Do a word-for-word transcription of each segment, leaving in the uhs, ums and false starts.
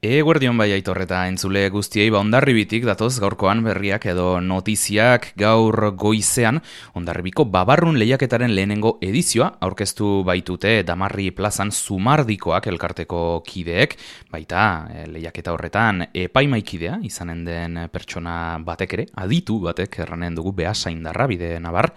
Eguerdion bai Aitor eta entzule guztiei ba Hondarribitik datoz gaurkoan berriak edo notiziak gaur goizean Hondarribiko babarrun lehiaketaren lehenengo edizioa aurkeztu baitute Damarri plazan Zumardikoak elkarteko kideek, baita lehiaketa horretan epaimaikidea izanen den pertsona batek ere, aditu batek erranen dugu Beasaindarra bide nabar.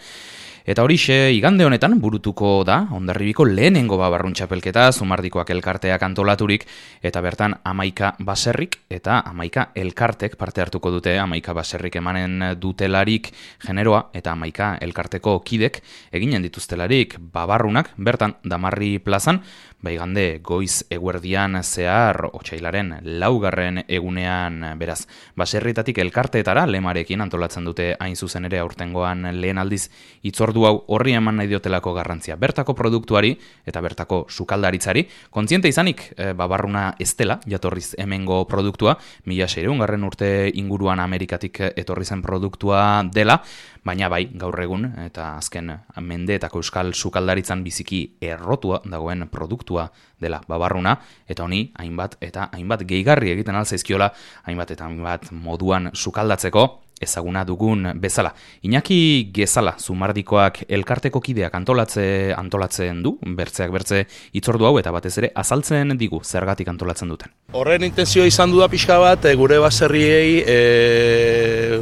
Eta horixe igande honetan burutuko da Hondarribiko lehenengo babarrun txapelketa Zumardikoak elkarteak antolaturik eta bertan hamaika baserrik eta hamaika elkartek parte hartuko dute, hamaika baserrik emanen dutelarik generoa eta hamaika elkarteko kidek eginen dituztelarik babarrunak bertan Damarri plazan, baigande goiz eguerdian zehar otsailaren laugarren egunean beraz. Baserritatik elkarteetara lemarekin antolatzen dute hain zuzen ere aurtengoan lehen aldiz hitzordu hau horri eman nahi diotelako garrantzia. Bertako produktuari eta bertako sukaldaritzari, kontziente izanik e, babarruna ez dela jatorriz hemengo produktua, mila seiehungarren urte inguruan Amerikatik etorri zen produktua dela, baina bai, gaur egun eta azken mendeetako euskal sukaldaritzan biziki errotua dagoen produktua dela babarruna, eta honi hainbat eta hainbat gehigarri egiten alzaizkiola, hainbat eta hainbat moduan sukaldatzeko ezaguna dugun bezala. Iñaki Gezala, Zumardikoak elkarteko kideak antolatze, antolatzen du, bertzeak bertze hitzordu hau eta batez ere azaltzen digu zergatik antolatzen duten. Horren intenzioa izan du da pixka bat, gure baserriei e...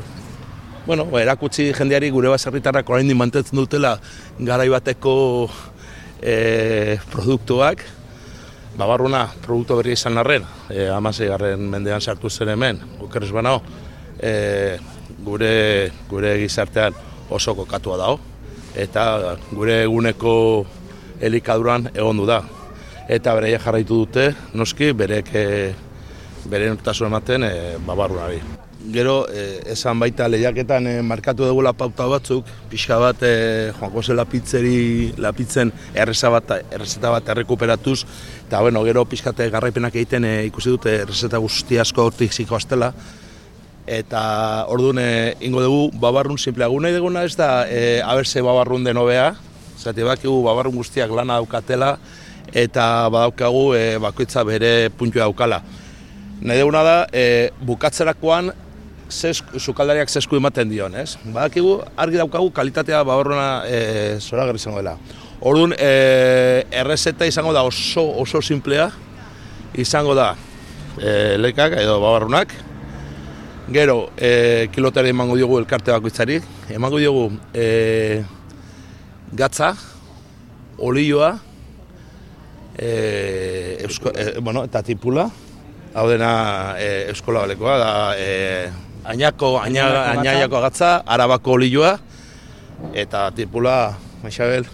Bueno, erakutsi jendeari gure baserritarrak oraindik mantentzen dutela garai bateko e, produktuak. Babarruna produktu berria izan arren, e, hamaseigarren mendean sartu zen hemen, oker ez banao, e, gure, gure gizartean oso kokatua dago, eta gure eguneko elikaduran egondu da. Eta bereia jarraitu dute, noski, berek e, bere nortasun ematen e, babarrunari. Gero, eh, esan baita lehiaketan eh, markatu dugula pauta batzuk, pixka bat eh, joango zen lapitzeri, lapitzen erreza bat, errezeta bat errekuperatuz, eta bueno, gero pixkate garraipenak egiten eh, ikusi dute errezeta guzti asko hortik ziko aztela, eta orduan eh, ingo dugu babarrun simpleagu nahi duguna ez da eh, aberse babarrun den hobea, zati bakigu babarrun guztiak lana daukatela, eta badaukagu eh, bakoitza bere puntua daukala. Nahi duguna da, eh, bukatzerakoan, sukaldariak zesku ematen dion, ez? Badakigu, argi daukagu kalitatea babarruna e, zoragarri izango dela. Orduan, e, errezeta izango da oso, oso simplea, izango da e, lekak edo babarrunak. Gero, e, kilotari emango diogu elkarte bakoitzari, emango diogu e, gatza, olioa, e, eusko, e, bueno, eta tipula, hau dena e, euskola balekoa, da e, Añako, aña, añaiako agatza, arabako olioa, eta tipula, Maixabel,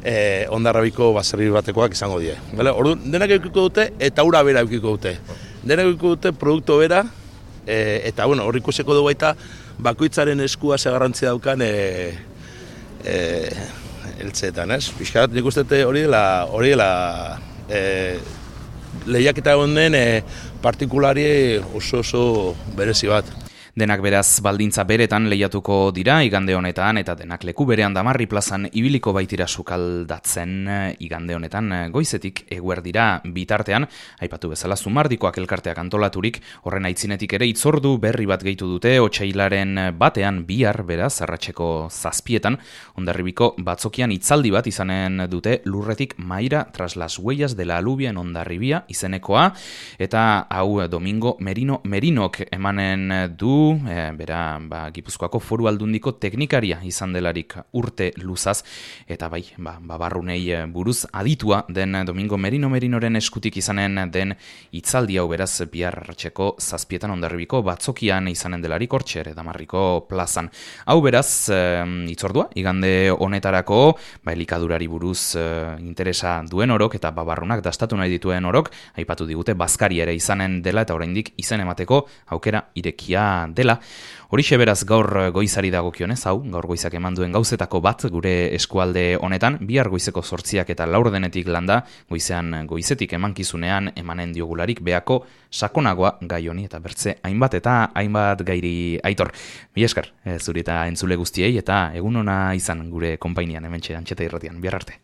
eh, Hondarribiko baserri batekoak izango die. Orduan, denak eukiko dute eta ura bera eukiko dute. Denak eukiko dute produktu bera, eh, eta bueno, hor ikusiko dugu baita bakoitzaren eskua ze garrantzia daukan eh, eh, eltzeetan, ez? Pixkat, nik uste hori dela, hori dela eh, lehiaketa honen eh, partikulari oso oso berezi bat. Denak beraz baldintza beretan lehiatuko dira igande honetan eta denak leku berean Damarri plazan ibiliko baitira sukaldatzen igande honetan goizetik eguerdira bitartean, aipatu bezala Zumardikoak elkarteak antolaturik, horren aitzinetik ere hitzordu berri bat gehitu dute otsailaren batean bihar beraz arratseko zazpietan, Hondarribiko batzokian hitzaldi bat izanen dute lurretik Maira tras las huellas de la alubia en Hondarribia izenekoa, eta hau Domingo Merino Merinok emanen du E, bera, ba, Gipuzkoako Foru Aldundiko teknikaria izan delarik urte luzaz, eta bai, ba, babarrunei buruz aditua den Domingo Merino Merinoren eskutik izanen den hitzaldi hau beraz bihar arratseko zazpietan Hondarribiko batzokian izanen delarik hortxe ere Damarriko plazan. Hau beraz, e, hitzordua, igande honetarako, ba, elikadurari buruz e, interesa duen orok eta babarrunak dastatu nahi dituen orok, aipatu digute bazkari ere izanen dela eta oraindik izen emateko aukera irekia dela. Horixe beraz gaur goizari dagokionez, hau, gaur goizak eman duen gauzetako bat gure eskualde honetan, bihar goizeko zortziak eta laurdenetik landa, goizean goizetik emankizunean emanen diogularik beako sakonagoa gai honi eta bertze hainbat eta hainbat gairi Aitor. Mila esker, zuri eta entzule guztiei eta egun ona izan gure konpainian hementxe Antxeta Irratian. Bihar arte.